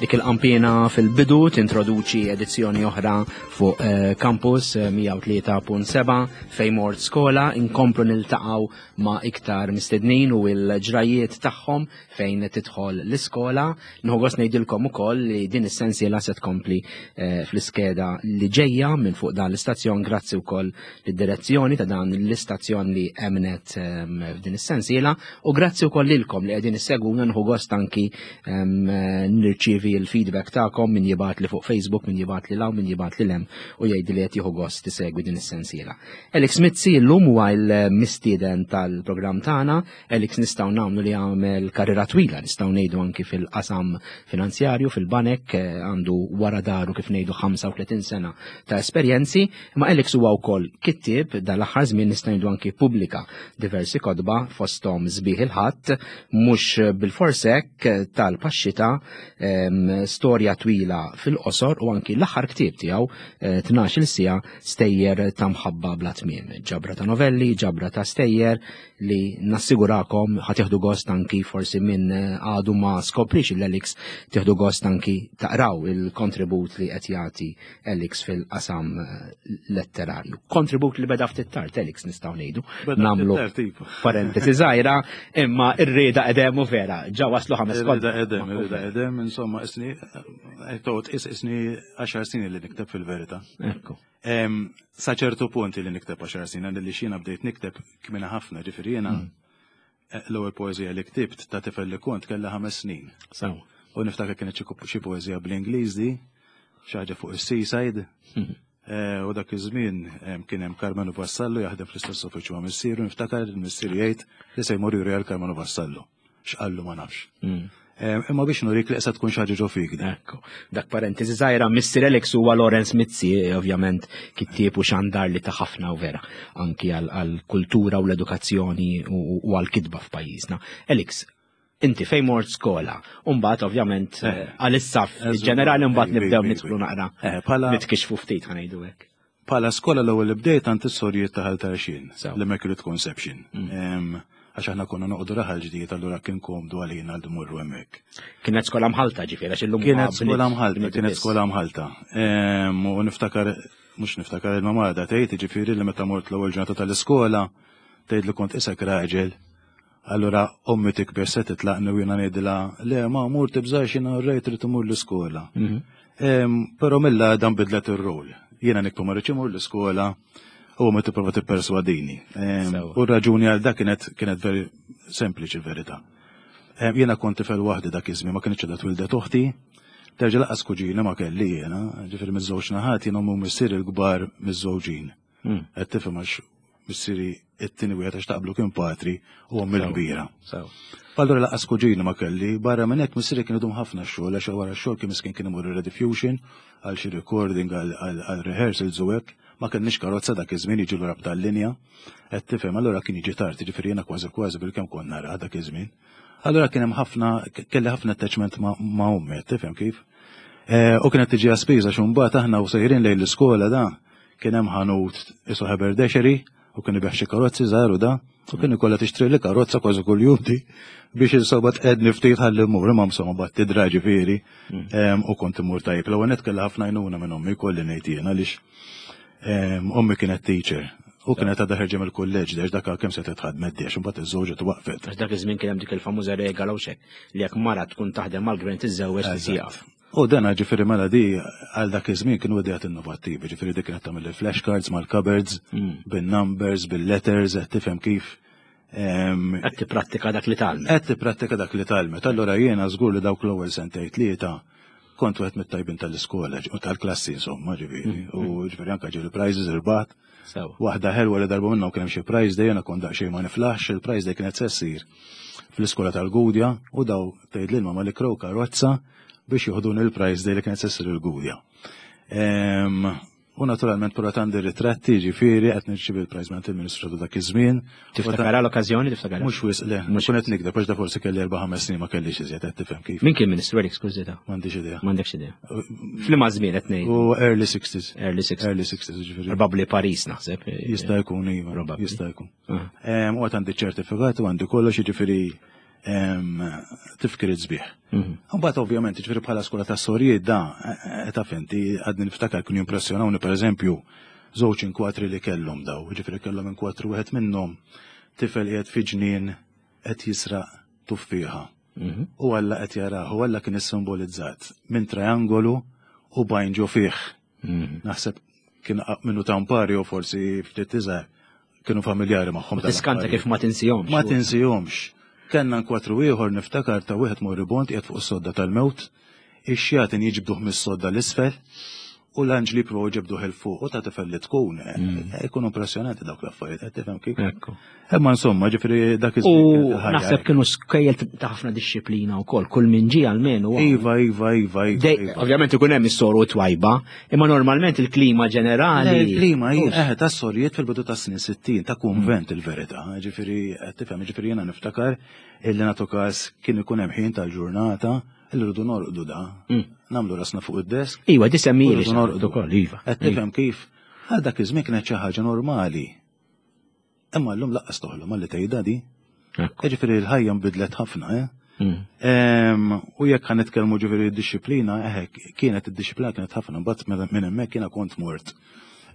Dik il-qampina fil-bidu tintroduċi edizzjoni oħra fuq eh, Campus 103.7 eh, fejn mort skola inkomplu niltaqgħu ma' iktar mistednin u l-ġrajiet tagħhom fejn tidħol l-iskola. Nieħu gost ngħidilkom ukoll li din is-sensiela se tkompli eh, fl-iskeda li ġejja minn fuq dan l-istazzjon grazzi wkoll lid-direzzjoni ta' dan l-istazzjon li emnet ehm, f'din is-sensiela u grazzi wkoll lilkom li qegħdin issegwuna nħu gost anki ehm, nirċievi l-feedback tagħkom min jibgħat li fuq Facebook, min jibgħat li law, min jibgħat li lem u jgħid li qed jieħu gost isegwi din is-sensiela. Alex Mizzi llum huwa l-mistieden tal-programm tagħna Alex nistgħu nagħmlu li għamel karriera twila, nistgħu ngħidu anki fil-qasam finanzjarju, fil-banek, eh, għandu wara daru kif ngħidu 35 sena ta' esperjenzi, imma Alex huwa wkoll kittieb dal-aħħar żmien nistgħu ngħidu anki pubblika diversi kotba fosthom Sbieħ il-Ħadd, mhux bil-forsek tal-paxxita, storja twila fil-qosor u anki l-aħħar ktieb tiegħu 12-il eh, siegħa stejjer ta' mħabba bla tmiem. Ġabra ta' novelli, ġabra ta' stejjer, li nassigurakom ħa tieħdu gost anki forsi minn eh, għadu ma skoprix il-Elix tieħdu gost anki taqraw il-kontribut li qed jagħti Elix fil-qasam eh, letterarju. Kontribut li beda ftit tard Elix nistgħu ngħidu. Nagħmlu iva. parentesi żgħira imma r-rieda qedem u vera ġa waslu ħames kont. Rieda qedem, rieda qedem, insomma isni eh, toqgħod isni 10 snin li nikteb fil-verità. Ekku. Sa ċertu punt li nikteb għaxar snin, li xina bdejt nikteb kmina ħafna, ġifieri jiena mm. eh, l-ewwel poeżija li ktibt ta' tifel li kont kellha ħames snin. U niftakar kienet xi poeżija bl-Ingliż di, xi ħaġa fuq is-seaside. Mm. Eh, u dak iż-żmien kien hemm Karmenu Vassallo jaħdem fl-istess uffiċċju ma' missieru, niftakar il-missier jgħid li se jmur juri għal Karmenu Vassallo. X'qallu ma nafx. Mm. Imma biex nurik li qesa tkun xi ħaġa ġo fik. Ekku. Dak parentesi żgħira, Mr. Alex huwa Lawrence Mizzi, ovvjament kittieb u xandar li ta' ħafna u vera anki għall-kultura u l-edukazzjoni u għall-kitba f'pajjiżna. Alex, inti fejn mort skola, u mbagħad ovvjament eh, għal-issaf ġenerali mbagħad nibdew nidħlu naqra eh, nitkixfu ftit ħanejdu hekk. Bħala skola l-ewwel li bdejt għand is-sorijiet ta' Ħal Tarxien, l-Immaculate Conception. Mm. Għax aħna konna noqogħdu raħal ġdid allura kien komdu għalina li mmorru hemmhekk. Kienet skola mħalta ġifieri għax illum Kienet skola mħalta, kienet skola mħalta. U niftakar mhux niftakar il-mamma għadha tgħid ġifieri li meta mort l-ewwel ġurnata tal-iskola tgħid li kont isek raġel Allura ommi tikber se titlaqni u jiena ngħidilha le ma mur tibżax jiena rejt trid imur l-iskola. Mhm. Però mill dan bidlet ir-rol. Jiena nikbu ma rridx imur l-iskola u ma tipprova tipperswadini. U r-raġuni għal dak kienet kienet veri sempliċi verità. Jiena kont tifel waħdi dak iż-żmien ma kienx qiegħda twildet oħti. Terġa' laqas kuġina ma kelli jiena, ġifieri miż-żewġ naħat jiena ommi u missieri l-kbar miż-żewġin. Hmm. Qed tifhem għax missieri it-tieni wieħed għax taqblu kien patri u ommi l-kbira. Allura laqas kuġina ma kelli, barra minn hekk missieri kien idum ħafna xogħol għax wara x-xogħol kien miskin kien imur rediffusion għal xi recording għal rehearsals u hekk. Ma kenniex karozza dak iż-żmien jiġi lura b'tal-linja. Qed tifhem, allura kien jiġi tard, jiġifieri jiena kważi kważi bilkemm kont nara dak iż-żmien. Allura kien hemm ħafna kelli ħafna attachment ma' ommi, qed tifhem kif? Eh, u kienet tiġi għaspiża xumbat aħna u sejrin lejn l-iskola da Kien hemm ħanut isu haberdashery u kien ibigħ xi karozzi żgħar u da, u kien ikollha tixtri li karozza kważi kuljum di biex insomma tqedni ftit ħalli mmur imma insomma bat tidra ġifieri mm. u kont immur tajjeb. L-ewwel nett kellha ħafna għajnuna minn ommi kolli ngħid jien għaliex ommi kienet teacher u kienet għadha ħerġa mill-kulleġġ dex dak kemm se titħadmet dex imbagħad iż-żewġa twaqfet. Għax dak iż-żmien kien hemm dik il-famuża regola u xek li jekk mara tkun taħdem mal-gvern tiżżewweġ tisieqaf. U dana ġifieri mela di għal dak iż-żmien kienu ideat innovattivi, ġifieri dik kienet tagħmel il-flashcards mal-cupboards, mm. bin-numbers, bil-letters, qed tifhem kif. Qed tipprattika dak li talmet. Qed tipprattika dak li talmet. Allura jiena żgur li dawk l-ewwel sentejn tlieta kont wieħed mit-tajbin tal-iskola u tal-klassi insomma ġifieri. Mm. U ġifieri anke ġieli prizes irbat. Waħda ħelwa li darba minnhom kien hemm xi prize day jiena kont daqsxejn ma niflaħx, il-prize day kienet se ssir fl-iskola tal-Gudja u daw tgħid lil mamma li krow karozza biex joħduni l-prize day li kienet se ssir il-Gudja. U naturalment però għandi ritratti ġifieri qed nirċievi l-prize minn il-Ministru ta' dak iż-żmien. Tiftakara l-okkażjoni tiftakara? Mhux wisq le, mhux qed nikdeb għax da forsi kelli erba' ħames snin ma kellix iżjed qed tifhem kif. Min kien Ministru Eric skużita? M'għandix idea. M'għandekx idea. F'liema żmien qed ngħid? U early 60s. Early 60s. Early 60s ġifieri. Probabbli Paris naħseb. Jista' jkun iva. Jista' jkun. Ah. U għad għandi ċertifikat u għandi kollox jiġifieri. Tifkiriet sbieħ. Mbagħad ovvjament, ġifieri bħala skola ta' sorijiet da, eh, taf inti għadni niftakar kienu jimpressjonawni pereżempju żewġ inkwatri li kellhom daw, ġifieri kellhom inkwatri wieħed minnhom tifel qiegħed fi ġnien qed jisraq tuffieħa. U Alla qed jarah, u Alla kien issimbolizzat minn triangolu u bajn ġo fih. Naħseb kien minnu tampari u forsi ftit iżgħar kienu familjari magħhom. Tiskanta kif ma tinsihomx. Ma tinsihomx. Kellna nkwatru ieħor niftakar ta' wieħed moribond qiegħed fuq is-sodda tal-mewt, ix-xjaten jiġbduh mis-sodda l-isfel u l-anġli jippruvaw jġibduh 'il fuq u ta' tifel li tkun. Ikunu impressjonanti dawk l-affarijiet, qed tifhem kif? Ekku. Imma insomma, ġifieri dak iż U naħseb kienu skejjel ta' ħafna dixxiplina wkoll, kull min ġie almenu. Iva, iva, iva, iva. Iva. Ovvjament ikun hemm is-soru twajba, imma normalment il-klima ġenerali. Il-klima hi eh ta' sorijiet fil-bidu ta' snin 60 ta' kunvent il-verità, ġifieri qed tifhem, ġifieri jiena niftakar illi nagħtu każ kien ikun hemm ħin tal-ġurnata illi rridu norqdu da. Nagħmlu rasna fuq id-desk. Iva, di semmili norqdu ukoll, iva. Qed tifhem kif? Għal dak iż-żmien kienet xi ħaġa normali. Imma llum laqqas toħlom għalli tgħidha di. Ġifieri l-ħajja nbidlet ħafna, eh? U jekk ħan nitkellmu ġifieri d-disciplina, eh, kienet id-disciplina kienet ħafna, mbagħad minn hemmhekk jiena kont mort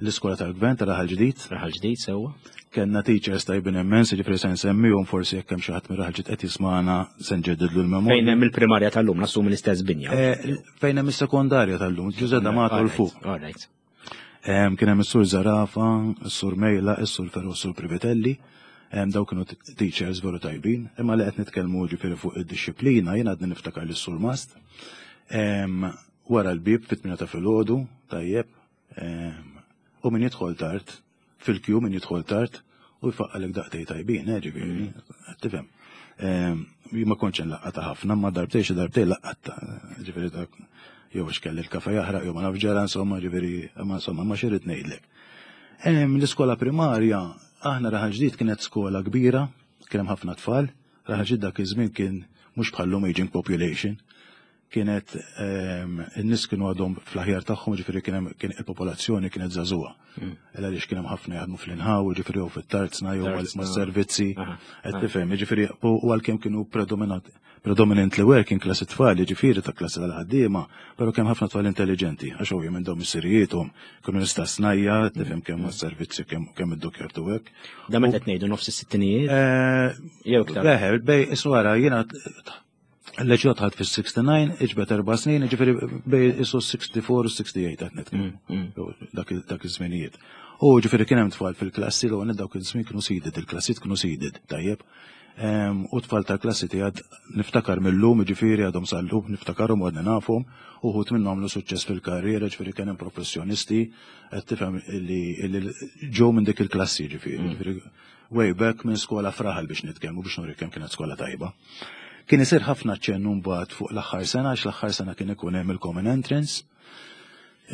l-iskola tal-gvern ta' Raħal Ġdid. Raħal Ġdid sewwa. Kellna teachers tajbin immens, ġifieri se nsemmihom forsi jekk hemm xi ħadd minn Raħal Ġdid qed jismagħna se nġeddidlu l-memorja. Fejn hemm il-primarja tal-lum, nassumi l-istess binja. Eh, fejn hemm is-sekondarja tal-lum, Ġużè D'Amato 'l fuq. All right. Kien hemm is-Sur Zarafa, is-Sur Mejla, is-Sur Ferro, is-Sur Privitelli. Daw kienu teachers veru tajbin, imma li qed nitkellmu ġifieri fuq id-dixxiplina, jien għadni niftakar lis sur Mast. Wara l-bieb fit-8 ta' filgħodu, tajjeb, u min jidħol tard, fil-kju min jidħol tard, u jfaqqalek daqtej tajbin, eh, ġifieri, tifhem. Jien ma kontx nlaqqata ħafna, ma darbtej xi darbtej laqqatta, ġifieri dak jew għax kelli l-kafe jaħraq jew ma nafx ġara insomma, ġifieri, ma insomma, ma xi rrid ngħidlek. L-iskola primarja, aħna Raħal Ġdid kienet skola kbira, kien hemm ħafna tfal, Raħal Ġdid dak iż-żmien kien mhux bħal-lum aging population, kienet in-nies kienu għadhom fl-aħjar tagħhom, ġifieri kien hemm kien il-popolazzjoni kienet żagħżugħa. Illa għaliex kien hemm ħafna jaħdmu fl-inħaw, ġifieri jew fit-tarzna jew mas-servizzi, qed tifhem, ġifieri u għalkemm kienu predominantly working class it-tfal, ġifieri ta' klassi tal-ħaddiema, però kemm ħafna tfal intelligenti, għax ovvjament dawn missirijiethom kienu nies ta' snajja, tifhem kemm mas-servizzi kemm id-dukjartu hekk. Da meta qed ngħidu nofs is-sittinijiet? Eh, jew iktar. Leħe, bej iswara jiena L-leġjot ħadd fis-69, iġbet erba' snin, ġifieri bej isu 64 u 68 qed nitkellmu. Dak iż-żminijiet. U ġifieri kien hemm tfal fil-klassi l għonet dawk iż-żmien kienu seeded, il-klassijiet kienu seeded, tajjeb. U tfal tal-klassi tiegħed niftakar mill-lum, ġifieri għadhom sal-lum, niftakarhom u għadni nafhom, uħud minnhom għamlu suċċess fil-karriera, ġifieri kien hemm professjonisti, qed tifhem li ġew minn dik il-klassi, ġifieri, ġifieri way back minn skola f'raħal biex nitkellmu biex nuri kemm kienet skola tajba. Kien isir ħafna ċennu mbagħad fuq l-aħħar sena għax l-aħħar sena kien ikun hemm il-common entrance.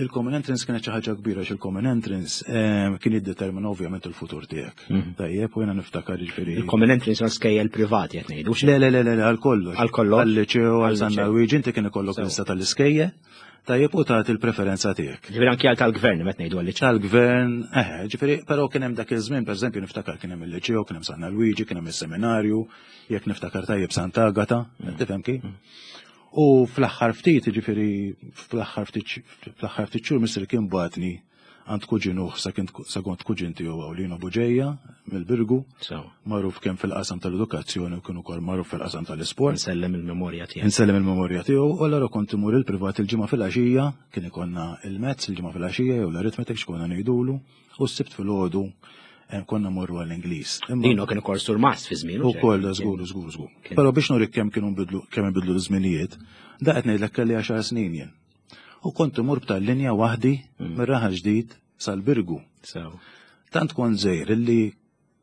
Il-common entrance kienet xi ħaġa kbira għax il-common entrance eh, kien jiddetermina ovvjament il-futur tiegħek. Mhm. Tajjeb u jiena niftakar jiġifieri. Il-common entrance għal skejjel privati qed ngħidu. Le le le le għal kollox. Għal kollox. Għal-liċew, għal San Luigi inti kien ikollok lista tal-iskejjel. Tajjeb u tagħti l-preferenza tiegħek. Ġifieri anki għal tal-gvern meta ngħidu għal Tal-gvern, eh, ġifieri però kien hemm dak iż-żmien pereżempju niftakar kien hemm il-liċew, kien hemm San Luigi, kien hemm is-seminarju, jekk niftakar tajjeb Sant'Agata, tifhem kif? U fl-aħħar ftit, ġifieri fl-aħħar ftit fl-aħħar ftit xhur missieri kien bagħatni għand kuġinuh sa kont kuġin tiegħu Awlino Buġeja mill-Birgu. Magħruf kemm fil-qasam tal-edukazzjoni u kien ukoll magħruf fil-qasam tal-isport. Insellem il-memorja tiegħu. Insellem il-memorja tiegħu u allura kont imur il-privat il-ġimgħa filgħaxija, kien ikollna il-mezz il-ġimgħa filgħaxija jew l-arithmetic x'konna ngħidulu u s-Sibt filgħodu eh, konna morru għall-Ingliż. Dino kien ukoll surmast fi żmien. Ukoll żgur żgur żgur. Però biex nurik kemm kienu nbidlu kemm inbidlu l-żminijiet, da qed ngħidlek kelli għaxar snin jien. U kont imur b'tal-linja waħdi mm. mir-Raħal Ġdid sal-Birgu. Tant kont żejr illi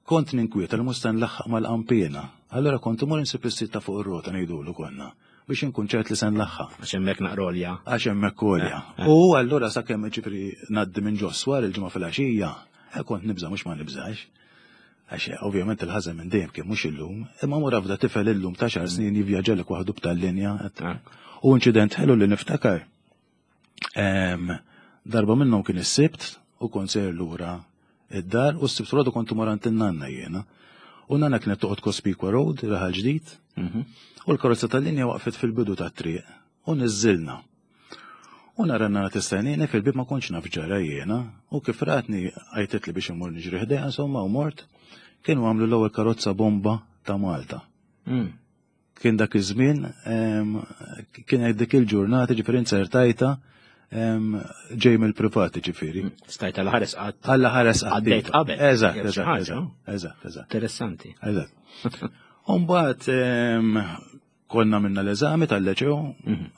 kont ninkwieta li mhux se nlaħħaq mal-qampiena. Allura kont imur insib is ta' fuq ir-rota ngħidulu konna biex inkun ċert li se nlaħħaq. Għax hemmhekk naqrolja. Għax hemmhekk olja. Eh, eh. U allura sakemm ġifri ngħaddi minn ġoswar il-ġimgħa fil-għaxija, eh, kont nibża' mhux ma nibżax. Għax ovvjament il-ħażen minn dejjem kien mhux illum, imma mur afda tifel illum ta' xar snin jivvjaġġalek waħdu b'tal-linja. U inċident ħelu li niftakar. Darba minnhom kien is-Sibt u kont sejr lura id-dar u s-Sibt filgħodu kont imur għand in-nanna jiena. U nana kienet toqgħod Cospicua Road, Raħal Ġdid, u l-karozza tal-linja waqfet fil-bidu tat-triq u niżżilna. U nara nana tistennini fil-bib ma kontx naf ġara jiena u kif ratni għajtet li biex immur niġri ħdejha insomma u mort kienu għamlu l-ewwel karozza bomba ta' Malta. Kien dak iż-żmien kien dik il-ġurnata ġifieri inzertajta ġej mill-privat ġifieri. Stajta l-ħares qatt. Alla ħares qatt. Għaddejt qabel. Eżatt, eżatt, eżatt, eżatt. Interessanti. Eżatt. Umbagħad konna minna l-eżami tal-leċew,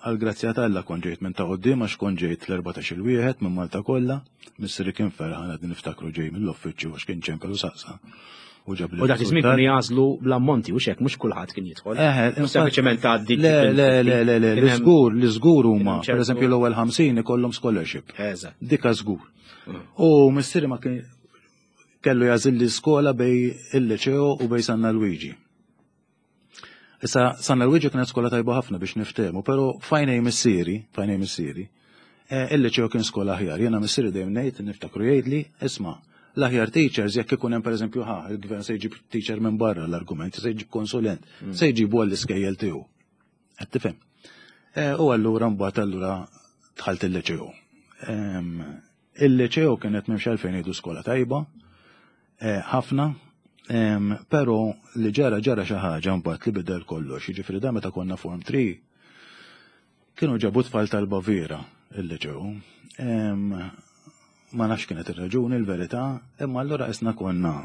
għal-grazzja t'Alla kont ġejt minn ta' quddiem għax kont ġejt l-14 il-wieħed minn Malta kollha, missieri kien ferħan għad niftakru ġej mill-uffiċċju għax kien ċempel u saqsa. U ġab U dak iż-żmien kienu jagħżlu bl-ammonti u xek mhux kulħadd kien jidħol. Sempliċement tgħaddi. Le, le, le, le, le, li żgur, li żgur huma, pereżempju l-ewwel 50 ikollhom scholarship. Eżatt. Dika żgur. U missieri ma kien kellu jagħżil li skola bej il-liceo u bej Sanna Luigi. Issa San Luigi kienet skola tajba ħafna biex niftehmu, però fajnej missieri, fajnej missieri, eh, il-liceo kien skola aħjar. Jiena missieri dejjem ngħid niftakru jgħidli, isma' l-aħjar teachers jekk ikun hemm pereżempju ħa, il-gvern se jġib teacher minn barra l-argument, se jġib konsulent, se jġibu għall-iskejjel tiegħu. Qed tifhem? Eh, u allura mbagħad allura dħalt il-liceo. Il-liceo kienet m'hemmx għalfejn ngħidu skola tajba, eh, ħafna, però li ġara ġara xi ħaġa mbagħad li bidel kollox. Jiġifieri da meta konna form 3 kienu ġabu tfal tal-Baviera il-liceo. Ma nafx kienet ir-raġuni l-verità, imma allura isna konna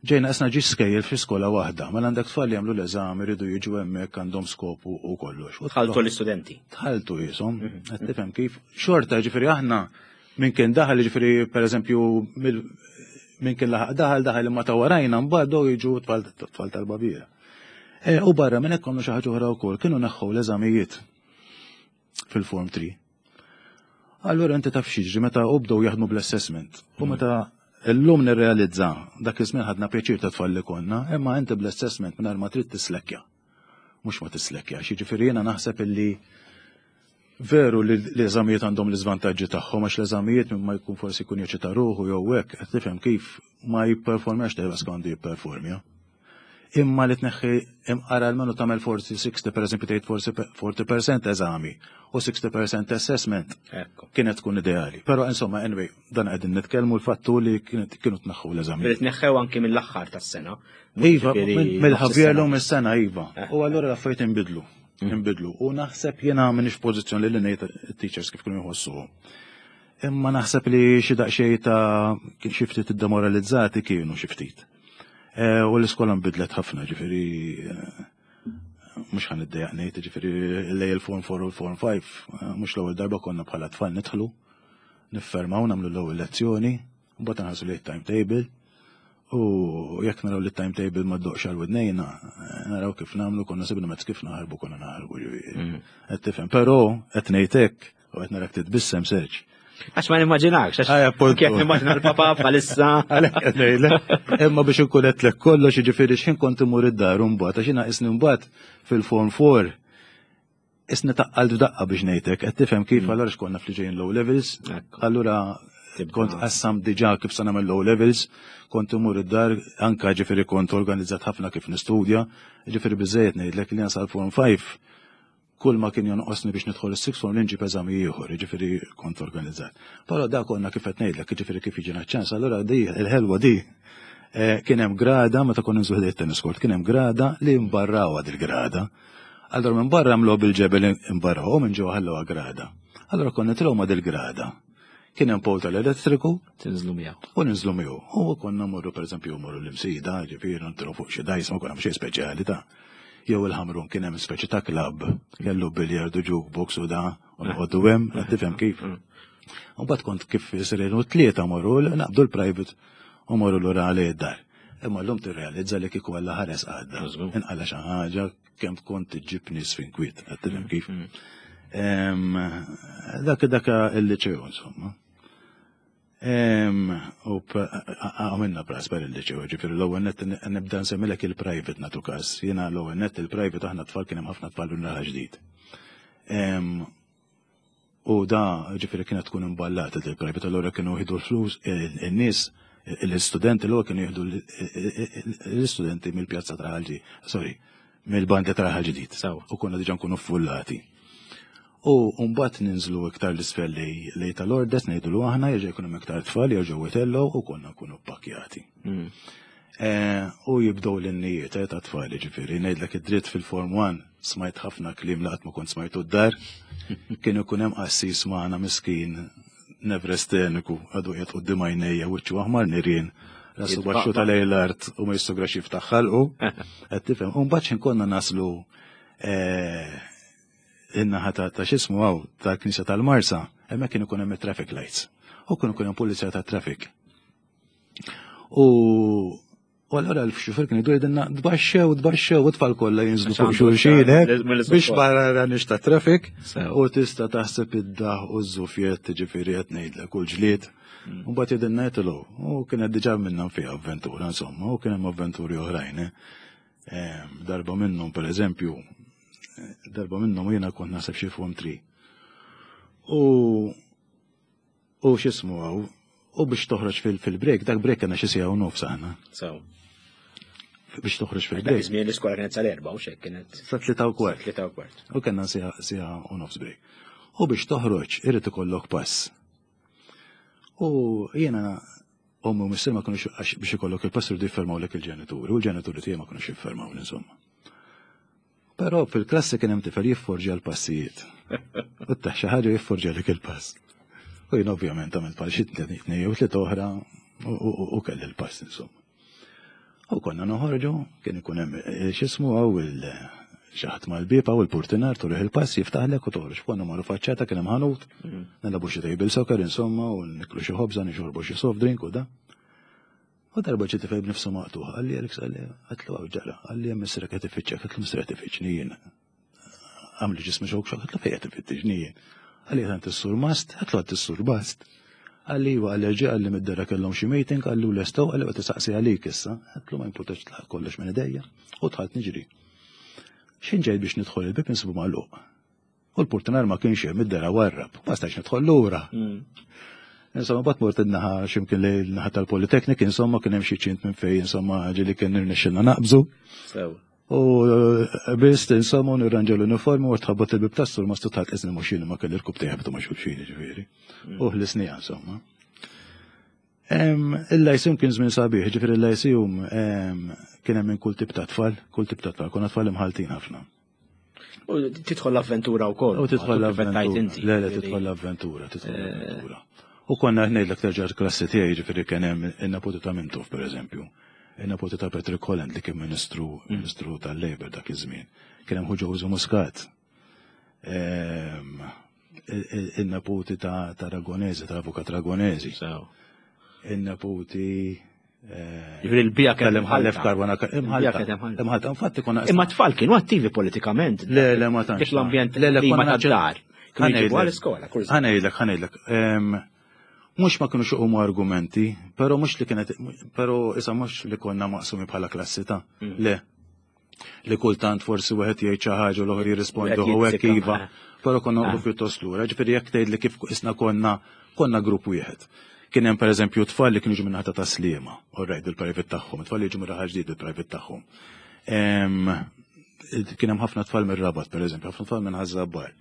ġejna isna ġi skejjel fi skola waħda, mela għandek tfal li jagħmlu l-eżami jridu jiġu hemmhekk għandhom skopu u kollox. U tħaltu l-istudenti. Tħaltu jisom, qed tifhem kif. Xorta ġifieri aħna minn kien daħal ġifieri pereżempju minn kien laħaq daħal daħal imma ta' warajna mbagħad dow jiġu tfal tal-Baviera. E, u barra minn hekk konna xi ħaġa oħra wkoll, kienu neħħu l-eżamijiet fil-form 3. Allura inti taf x'jiġri meta u bdew jaħdmu bl-assessment. U meta llum nirrealizza dak iż-żmien ħadna pjaċir ta' tfal li konna, imma inti bl-assessment mingħajr ma trid tislekkja. Mhux ma tislekkja, jiġifieri jiena naħseb illi veru li l-eżamijiet għandhom l-iżvantaġġi tagħhom għax l-eżamijiet minn ma jkun forsi jkun jeċita ruħu jew hekk, qed tifhem kif ma jipperformjax tajba skont jipperformja. Imma li tneħħi imqara almenu tagħmel forsi 60 pereżempju tgħid forsi 40% eżami u 60% assessment kienet tkun ideali. Però insomma anyway, dan qegħdin nitkellmu l-fattu li kienu tneħħu l-eżami. Li tneħħew anki mill-aħħar tas-sena. Iva, mill-ħavjerlu mis-sena iva. Eh. U allura l-affarijiet inbidlu. Inbidlu. U naħseb jiena m'iniex pożizzjoni li ngħid teachers kif kienu jħossuhom. Imma naħseb li xi daqsxejn ta' xi ftit iddemoralizzati kienu xi ftit. Eh, u l-iskola nbidlet ħafna, ġifieri eh, mhux ħan iddejjaq ngħid, ġifieri lej il-Form 4 u l-Form 5, eh, mhux l-ewwel darba konna bħala tfal nidħlu, niffermaw nagħmlu l-ewwel lezzjoni, mbagħad nħarsu li timetable u jekk naraw li timetable ma ddoqx għal widnejna, naraw kif nagħmlu konna sibna mezz kif naħarbu konna naħarbu ġifieri. Qed tifhem, però qed ngħid hekk u qed narak titbissem serġ. Għax ma nimmaġinakx, għax kif nimmaġina l-papa bħalissa. Għalhekk qed ngħidlek. Imma biex inkun qedlek kollox jiġifieri x'ħin kont imur id-dar mbagħad għax jiena isni mbagħad fil-form 4 isni taqqalt f'daqqa biex ngħidlek, qed tifhem kif allura x'konna fl-ġejjin low levels, allura kont qassam diġà kif se nagħmel low levels, kont imur id-dar anka ġifieri kont organizzat ħafna kif nistudja, ġifieri biżejjed ngħidlek li nasal form 5 kull ma kien jonqosni biex nidħol is-sixth form li nġib eżami ieħor, jiġifieri kont organizzat. Però da konna kif qed ngħidlek, jiġifieri kif jiġina ċans, allura di il-ħelwa di eh, kien hemm grada meta konna nżu ħdejt tennis court, kien hemm grada li mbarrawha dil-grada. Allura minn barra għamluha bil-ġebel imbarraw u minn ġewwa ħallewha grada. Allura konna nitilgħu ma' dil-grada. Kien hemm pol tal-elettriku. Tinżlu miegħu. U ninżlu miegħu. U konna morru pereżempju morru l-imsida, ġifieri nitilgħu fuq xi dajs ma konna xejn speċjali ta' jew il-Ħamrun kien hemm speċi ta' klabb kellu billiard u jukebox u da u noqogħdu hemm, qed tifhem kif. U mbagħad kont kif isirinu tlieta morru naqbdu l-private u morru lura għalih id-dar. Imma llum tirrealizza li kieku Alla ħares għadda. Inqala xi ħaġa kemm kont iġġib nies fin kwiet, qed tifhem kif. Dak dak il-liċew insomma. U għamilna prasper il-liċew, ġifieri l-ewwel net nibda nsemmilek il-private natu każ. Jiena l-ewwel net il-private aħna tfal kien hemm ħafna tfal minn raħal ġdid. U da ġifieri kienet tkun imballata il-private, allura kienu jieħdu l-flus in-nies. l-istudenti l kienu jieħdu l-istudenti mill-pjazza ta' Ħalġi, sorry, mill-bandi ta' Raħal Ġdid. U konna diġà nkunu ffullati. U mbagħad ninżlu iktar l-isfel lej tal-ordes ngħidulu aħna jerġa' jkun hemm iktar tfal jerġgħu jtellgħu u konna nkunu ppakkjati. Eh, u jibdew l-innijiet eh, ta' tfal, ġifieri, ngħidlek id-dritt fil-Form 1 smajt ħafna kliem li qatt ma kont smajtu d-dar. Kien ikun hemm qassis magħna miskin nevresteniku għadu qiegħed quddiem għajnejja wiċċu aħmar nirien rasu baxxu tal l-art u ma jistograx jiftaħ ħalqu. Qed tifhem, u mbagħad x'in konna naslu eh, in-naħa ta' x'ismu hawn tal-Knisja tal-Marsa, hemmhekk kien ikun hemm traffic lights. U kien ikun hemm pulizija tat-traffic. U U allora l-xufer kien idur jgħidilna tbaxxew, tbaxxew, u tfal kollha jinżlu fuq xulxin biex barra ranix ta' traffic u tista' taħseb id-daħ u ż-żufjet ġifieri qed ngħidlek u l-ġlied. Mm. U mbagħad jgħidilna jgħidlu u kienet diġà minnhom fiha avventura insomma u kien hemm avventuri oħrajn. Eh. Darba minnhom pereżempju, darba minnhom jiena kont naħseb xi form 3. U U x'ismu hawn, u biex toħroġ fil-break, dak break kena xi siegħa u nofs aħna. Sew. Biex toħroġ fil-break. Żmien l-iskola kienet sal-erba' u xek kienet. Sa 3:15. 3:15. U kellna siegħa u nofs break. U biex toħroġ irid ikollok pass. U jiena ommi u missier ma kinux biex ikollok il-pass irridu jiffirmawlek il-ġenituri, u l-ġenituri tiegħi ma kinux jiffirmaw insomma. Però fil-klassi kien hemm tifel jifforġja l-passijiet. U taħ xi ħaġa jifforġja dik il-pass. U jien ovvjament għamilt bħal xi tnejn jew tliet oħra u kelli l-pass insomma. U konna noħorġu, kien ikun hemm eh, x'ismu għaw il xi ħadd mal-bieb u l-purtinar turih il-pass jiftaħlek u toħroġ. Konna marru faċċata kien hemm ħanut, mm. nilagħbu xi table soccer insomma u niklu xi ħobża, nixorbu xi soft drink u da. U darba ġie tifel b'nifsu maqtugħ, qalli Alex qalli għatlu hawn ġara, qalli hemm missierek qed ifittxek, għatlu missierek qed ifittxni jien. Għamli ġismi xok xok, għatlu fejn qed ifittixni jien. Qalli għand is-sur Mast, għatlu għand is-sur Mast. Qalli iva qalli ġie qalli mid-dera kellhom xi meeting, qalli u lestew, qalli qed isaqsi għalik issa, għatlu ma jimpurtax tlaq kollox minn idejja u dħalt niġri. X'in ġejt biex nidħol il-bib insibu magħluq. U l-purtinar ma kienx hemm id-dera warrab, ma stajx nidħol lura. Mm. Insomma, bat mort in-naħa x'imkien li l-naħa tal-Politeknik, insomma, kien hemm xi ċint minn fejn, insomma, ġieli kien irnexxilna naqbżu. U eh, biss, insomma, nirranġa l-uniformi u tħabbat il-bib tas-sur ma stutħat iżni mhux jien ma kelli rkub tiegħi ma xulxin ġifieri. Mm. U ħlisni insomma. Il-lyceum kien żmien sabiħ, ġifieri il-lyceum kien hemm minn kull tip ta' tfal, kull tip ta' tfal, konna tfal imħaltin ħafna. U tidħol l-avventura wkoll. U tidħol l-avventura. Le, le, tidħol l-avventura, tidħol eh. l-avventura. U konna ngħidlek terġa' klassi tiegħi ġifieri kien hemm in-nepoti ta' Mintoff pereżempju. In-nepoti ta' Patrick Holland li kien ministru mm. ministru tal-Labor dak iż-żmien. Kien hemm Ħu Muscat. Ehm, in-neputi ta' Ragonesi, tal-avukat Ragonesi. In-neputi eh, Ġifieri l-bija kien imħallef karbona imħalta. Imħalta, infatti konna. Imma tfal kienu attivi politikament. Le, le, ma tantx. L-ambjent le, le, ma tad-dar. Kienu jġibu għal-iskola. Ħanejdlek, ħanejdlek. Mhux ma kienux iqumu argumenti, però mhux li kienet, però issa mhux li konna maqsumi bħala klassi ta' mm. Le, li kultant forsi wieħed jgħid xi ħaġa u l-oħra jirrispondu u hekk iva, però konna noqgħodu ah. pjuttost lura. Ġifieri jekk tgħid li kif isna konna konna grupp wieħed. Kien hemm pereżempju tfal li kienu ġu minn ħata ta' Sliema, u rajt il-private tagħhom, tfal li ġu minn raħal ġdid il-private tagħhom. Kien hemm ħafna tfal mir-Rabat pereżempju, ħafna tfal minn Ħaż-Żabbar.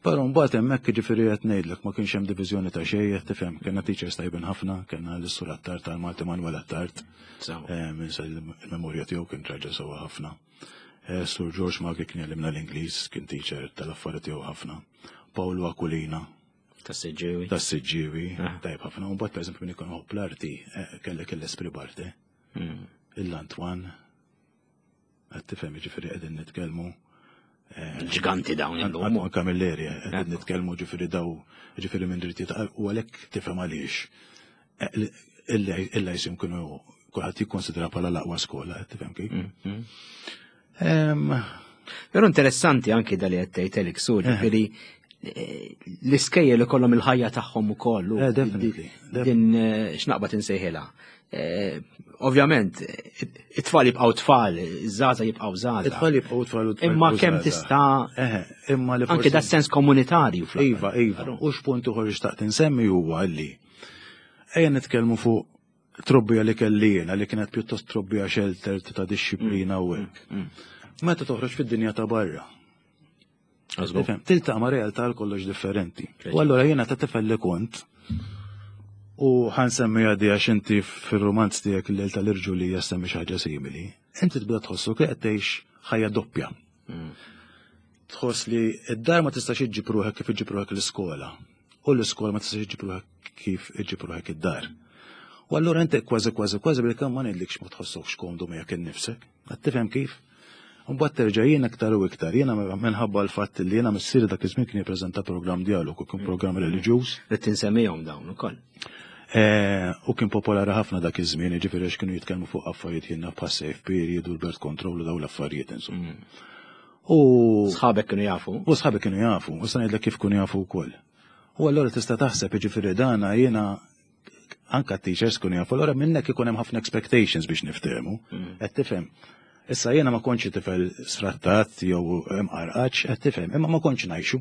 Però mbagħad hemmhekk jiġifieri qed ngħidlek ma kienx hemm diviżjoni ta' xejn qed tifhem, kellna teachers tajbin ħafna, kellna l-Sur Attard tal-Malti Manuel Attard. Eh, minn sa il-memorja tiegħu kien raġel sewwa ħafna. Eh, Sur George Magri kien jgħallimna l-Ingliż, kien teacher tal-affari tiegħu ħafna. Paolo Aquilina. Tas-Siġġiewi. Tas-Siġġiewi, ah. tajb ħafna. U mbagħad pereżempju min ikun l-arti, eh, kellek l-Esprit Barte. Hmm. Il-Antoine, Qed tifhem jiġifieri qegħdin nitkellmu eh, Ġiganti dawn illum. Antoine Camilleri eh, qegħdin nitkellmu ġifieri daw ġifieri minn drittijiet u għalhekk tifhem għaliex eh, il-lajsim kienu kulħadd jikkonsidra bħala l-aqwa skola, qed tifhem kif? Mm, mm. Però interessanti anki dali qed tgħid Elik Sur, ġifieri l-iskejjel ikollhom il-ħajja tagħhom ukoll. Eh, definitely. Din eh, x'naqbad insejħilha. Eh, ovvjament, it-tfal jibqgħu tfal, iż-żgħażagħ jibqgħu żgħażagħ. It-tfal jibqgħu tfal u Imma kemm tista' imma li anke da sens komunitarju fl Iva, iva. U x'punt uħor xtaqt insemmi huwa li ejja nitkellmu fuq Trobbija li kelli jiena li kienet pjuttost trobbija sheltered ta' dixxiplina u hekk. Meta toħroġ fid-dinja ta' barra. Tifhem, tiltaqa' ma' realtà għal kollox differenti. U allura jiena ta' tifel li kont u ħansemmi għadi għax inti fir-romanz tiegħek il-lejl tal-irġulija semmi xi ħaġa simili. Inti tibda tħossu li qed tgħix ħajja doppja. Tħoss li id-dar ma tistax iġġib ruħek kif iġġib ruħek l-iskola. U l-iskola ma tistax iġġib ruħek kif iġġib ruħek id-dar. U allura inti kważi kważi kważi bil-kemm ma ngħidlikx ma tħossokx komdu miegħek innifsek. Qed tifhem kif? Mbagħad terġa' jien iktar u iktar, jiena minħabba l-fatt li jiena missieri dak iż-żmien kien jippreżenta programm dialogu, kien programm reliġjuż. Li tinsemmihom dawn ukoll. Eh, u kien popolari ħafna dak iż-żmien, jiġifieri għax kienu jitkellmu fuq affarijiet jiena bħas safe period u l-birth control u dawn l-affarijiet insomma. U sħabek kienu jafu. U sħabek kienu jafu, u sa ngħidlek kif kienu jafu wkoll. U allura tista' taħseb jiġifieri dana jiena anka t-teachers kienu jafu, allura minnek ikun hemm ħafna expectations biex niftehmu. Qed tifhem. Issa jiena ma kontx tifel sfrattat jew imqarqaċ, qed tifhem, imma ma kontx ngħixu.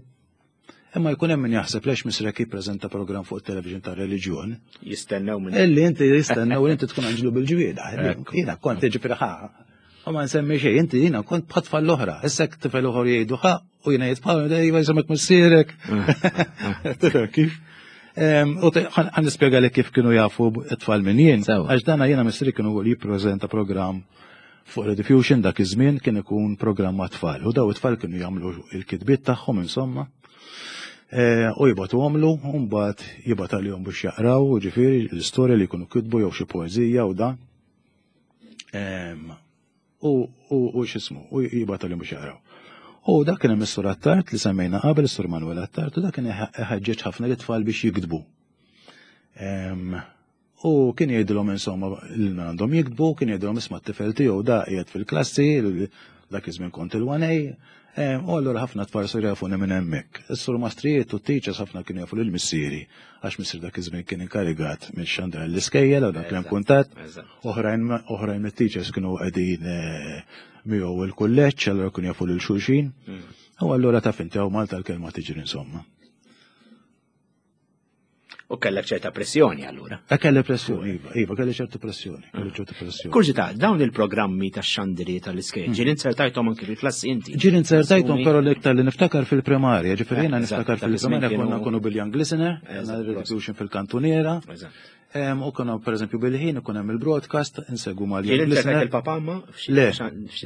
Imma jkun hemm min jaħseb lex misrek jippreżenta programm fuq it-television ta' reliġjon. Jistennew minn. Illi inti jistennew li inti tkun anġlu bil-ġwieda. Jiena kont jiġifieri ħa. U ma nsemmi xejn, inti jiena kont bħat tfal l-oħra. Issa tifel oħor jgħidu ħa u jiena jitfal, iva jisemek missierek. Tifhem kif? U ħan nispjega li kif kienu jafu t-tfal minn jien. Għax dana jiena missieri kienu jippreżenta programm Fuq Rediffusion dak iż-żmien kien ikun programm għat-tfal u daw it-tfal kienu jagħmlu il-kitbiet tagħhom insomma. E, u jibgħatu għomlu, u mbagħad jibgħat għalihom biex jaqraw, ġifieri l-istorja li jkunu kitbu jew xi poeżija u dan. U u x'ismu, u jibgħat għalihom biex jaqraw. U dak kien hemm is-sur Attard li semmejna qabel, is-sur Manuel Attard, u dak kien iħeġġeġ ħafna lit-tfal biex jiktbu. U kien jgħidilhom insomma li għandhom jiktbu, kien jgħidilhom isma' t-tifel tiegħu da qiegħed fil-klassi, dak iż-żmien kont il-1A, eh, u allura ħafna tfal saru jafuni minn hemmhekk. Is-sur mastrijiet u t-teachers ħafna kienu jafu lil missieri għax missier dak iż-żmien kien inkarigat minn xandra l-iskejjel u dak kien kuntatt. Oħrajn oħrajn mit-teachers kienu qegħdin eh, miegħu il-kulleġġ, allura kienu jafu lil xulxin. U allura taf inti hawn Malta l-kelma tiġri insomma. U kellek ċerta pressjoni allura. E kelli pressjoni, iva, iva, kelli ċertu pressjoni, kelli ċertu pressjoni. Kurżità, dawn il-programmi ta' xandiri tal-iskejjel, ġieli inzertajthom anki fil-klassi inti. Ġieli inzertajthom però l-iktar li niftakar fil-primarja, ġifieri jiena niftakar fil-primarja konna nkunu bil-Young Listener, għandna Rediffusion fil-kantuniera. U konna pereżempju bil-ħin ikun hemm il-broadcast, insegwu mal-Young Listener. Il-papa ma? Le,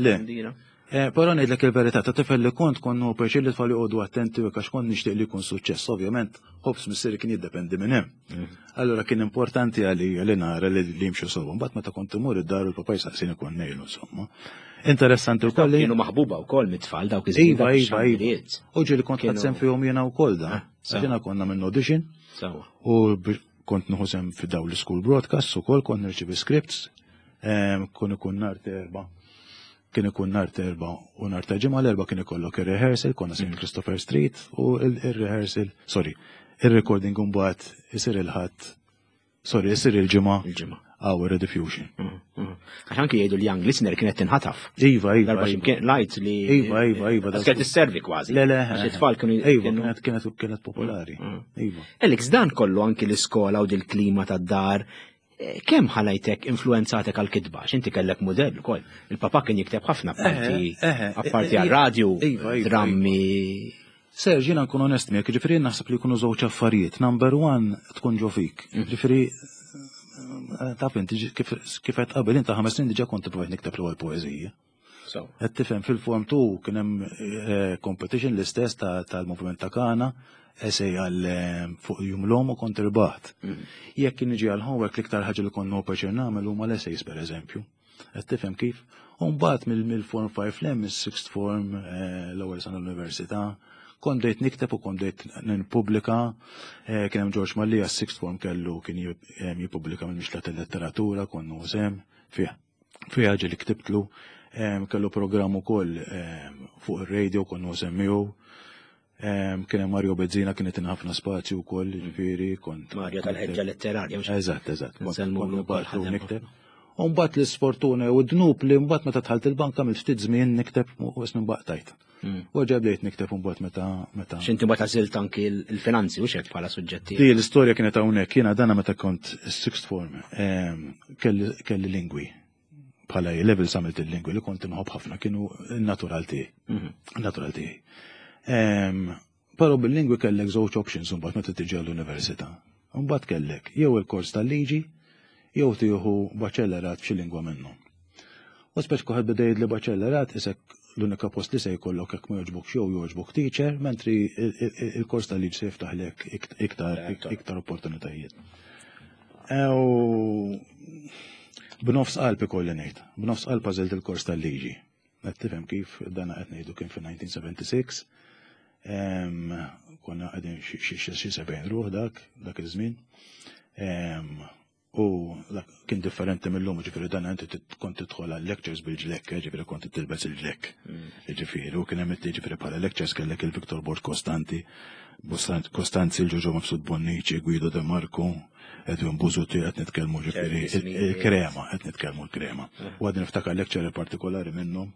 le. Eh, però ngħidlek il-verità, ta' tifel li kont kont nieħu pjaċir li tfal joqogħdu attenti u għax kont nixtieq li jkun suċċess. Ovvjament, ħobż missieri kien jiddependi minn hemm. Allura kien importanti għalija li nara li jimxu sewwa. Mbagħad meta kont imur id-dar u l-papa jsaqsini kont ngħidu insomma. Interessanti wkoll li kienu maħbuba wkoll mit-tfal dawk iż-żmien. Iva, iva, iva. U ġieli kont ħadt sehem fihom jiena wkoll da. Ah, jiena konna minn audition. U kont nieħu sehem fi dawn l-school broadcasts ukoll kont nirċievi scripts. Kun ikun nhar terba' Kien ikun nhar t'Erbgħa u nhar ta' Ġimgħa, l-Erbgħa kien ikollok ir-rehearsal, konna St. Christopher Street u il-rehearsal, sorry, ir-recording imbagħad isir il-Ħadd, sorry, isir il-Ġimgħa. Il-Ġimgħa. Għaw Rediffusion. Għax anki jgħidu li Young Listener kienet tinħataf. Iva, iva. Darba ximkien lajt li. Iva, iva, iva. Kienet isservi kważi. Le, le. Għax it-tfal kienu. Iva, kienet kienet kienet popolari. Iva. Alex, dan kollu anki l-iskola u dil-klima tad-dar Kemm ħalajtek influenzatek għal-kitba? X'inti kellek mudell ukoll. Il-papa kien jikteb ħafna apparti apparti għar-radju, iva, iva, drammi. Serġ, jiena nkun onest miegħek, ġifieri naħseb li jkunu żewġ affarijiet. Number one tkun ġo fik. Ġifieri taf inti kif qed qabel inta 5 snin diġà kont ippruvajt nikteb l-ewwel poeżija. Qed tifhem fil-form 2 kien hemm eh, competition l-istess tal-moviment ta' Kana, essay għal eh, fuq jum l-om u kont irbaħt. Jekk kien niġi għal homework l-iktar ħaġa li kont pjaċir nagħmel huma l-essays pereżempju. Qed tifhem kif? U mbagħad mill-form 5 lem, mis-sixth form eh, l-ewwel sena l-università, kont bdejt nikteb u kont bdejt nippubblika, kien hemm George Mallia s-sixth form kellu kien jippubblika mill-mixla tal-letteratura, kont nużem fih. Fiha ġieli ktibtlu, kellu programm ukoll fuq ir-radio konna nsemmihu. Kien hemm Mario Bezzina kien itina ħafna spazju wkoll, ġifieri kont. Mario tal-ħeġġa letterarja. Eżatt, eżatt. Nsellmu nikteb. U mbagħad l-isfortuna u d-dnub li mbagħad meta dħalt il-banka mill ftit żmien nikteb u ismi baqtajt. U ġa bdejt nikteb mbagħad meta meta. X'inti mbagħad għażilt anki l-finanzi u xek bħala suġġetti. Di l-istorja kienet hawnhekk jiena dana meta kont sixth form kelli lingwi bħala level għamilt il-lingwi li kont inħobb ħafna kienu natural tiegħi. Natural tiegħi. Però bil-lingwi kellek żewġ options imbagħad meta tiġi għall-università. Imbagħad kellek jew il-kors tal-liġi jew tieħu baċellerat f'xi lingwa minnhom. U speċ kuħed beda jgħid li baċellerat isek l-unika post li se jkollok jekk ma jogħġbokx jew jogħġbok teacher, mentri il-kors tal-liġi se jiftaħlek iktar iktar opportunitajiet. U b'nofs qalb ikolli ngħid, b'nofs qalb għażilt il-kors tal-liġi. Qed tifhem kif dana qed ngħidu kien fin-1976. Konna qegħdin xi 70 ruħ dak dak iż-żmien. U kien differenti mill-lum, ġifieri dan inti kont tidħol għal lectures bil-ġlekk, eh, ġifieri kont tilbes il-ġlekk. Ġifieri, u kien hemm ġifieri bħala lectures kellek il-Victor Borg Kostanti, Kostanzi, il-Ġoġo Mifsud Bonnici, Guido De Marco, Edwin Buzuti, qed nitkellmu ġifieri il-krema, qed nitkellmu l-krema. U għadni niftakar lecture partikolari minnhom,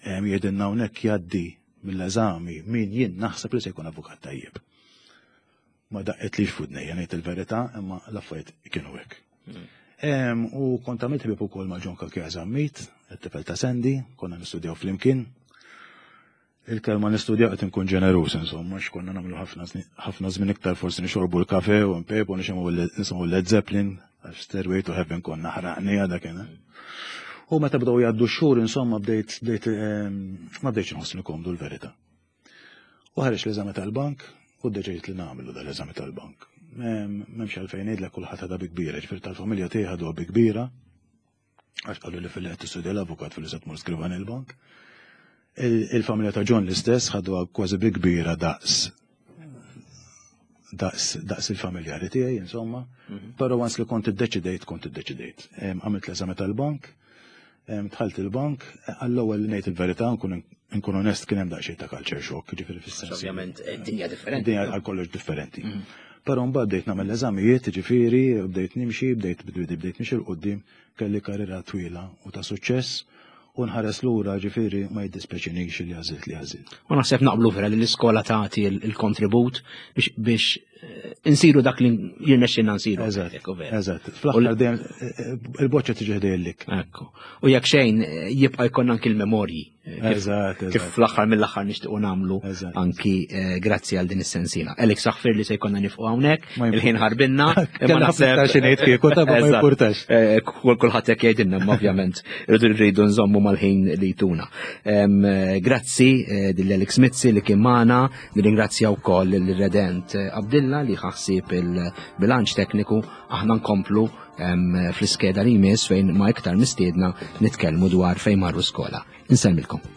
jgħidilna hawnhekk jgħaddi mill-eżami min jien naħseb li se jkun avukat tajjeb. Ma daqqet li fudnejja ngħid il-verità, imma l-affarijiet kienu hekk. U kont għamilt ħbieb ukoll ma' John Cachia Zammit, it-tifel ta' Sandy, konna nistudjaw flimkien. Il-kelma nistudjaw qed inkun ġeneruż insomma, għax konna nagħmlu ħafna żmien iktar forsi nixorbu l-kafe u npejpu nisimgħu Led Zeppelin, għax Stairway to Heaven konna ħraqniha dak kien. U meta bdew jgħaddu x-xhur insomma bdejt bdejt ma bdejtx inħossni komdu l-verità. U ħareġ l-eżami tal-bank u ddeċidejt li nagħmlu dal-eżami tal-bank. M'hemmx għalfejn ngħidlek kulħadd ħadha bi kbira, ġifieri tal-familja tiegħi ħaduha bi kbira. Għax qalu li fil-li qed tistudja l-avukat fil-li se tmur skrivan il-bank. Il-familja ta' John l-istess ħaduha kważi bi kbira daqs daqs daqs il-familjari tiegħi insomma, però once li kont iddeċidejt kont iddeċidejt. Għamilt l-eżami tal-bank, dħalt il-bank, għall-ewwel li ngħid il-verità nkun nkun onest kien hemm daqsxejn ta' culture shock, ġifieri fis-sens. Ovvjament eh, dinja differenti. Dinja għal kollox differenti. Però mbagħad bdejt nagħmel l-eżamijiet, ġifieri, bdejt nimxi, bdejt bdejt nimxi 'l quddiem, kelli karriera twila u ta' suċċess u nħares lura ġifieri ma jiddispjaċinix li għażilt li għażilt. U naħseb naqblu vera li l-iskola tagħti il-kontribut biex eh, insiru dak li jirnexxinna nsiru. Eżatt. Eżatt. Fl-aħħar dejjem eh, eh, il-boċċa tiġi ħdejlik. Ekku. U jekk xejn jibqa' jkollna anki l-memorji Eżatt, Kif fl-aħħar mill-aħħar nixtiequ nagħmlu anki eh, grazzi għal din is-sensiela. Alex aħfir li se jkollna nifqu hawnhekk, il-ħin ħarbinna, imma naħseb xi ngħid kieku ta' ma jimpurtax. Eh, kulħadd hekk jgħidilna, imma ovvjament rridu rridu nżommu mal-ħin li jtuna. Eh, grazzi lil Alex Mizzi li kien magħna, nirringrazzja wkoll lil-Redent Abdilla li ħassib il-bilanċ tekniku, aħna nkomplu fl-iskeda li jmiss fejn ma' iktar mistiedna nitkellmu dwar fejn marru skola. Insellmilkom.